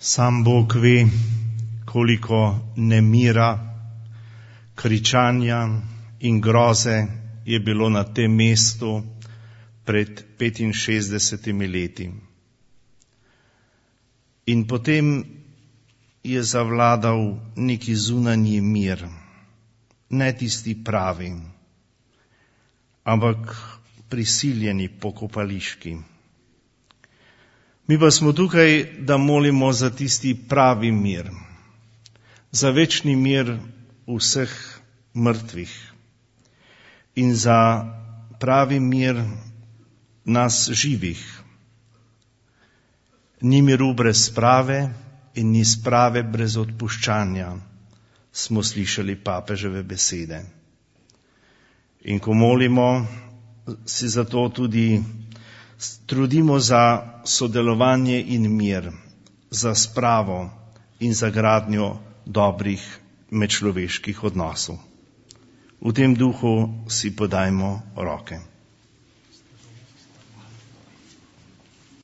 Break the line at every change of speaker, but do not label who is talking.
Sam Bog ve, koliko nemira, kričanja in groze je bilo na tem mestu pred 65 leti. In potem je zavladal neki zunanji mir, ne tisti pravi, ampak prisiljeni pokopališki. Mi pa smo tukaj, da molimo za tisti pravi mir, za večni mir vseh mrtvih in za pravi mir nas živih. Ni miru brez sprave in ni sprave brez odpuščanja, smo slišali papeževe besede. In ko molimo, si zato tudi trudimo za sodelovanje in mir, za spravo in za gradnjo dobrih medčloveških odnosov. V tem duhu si podajmo roke.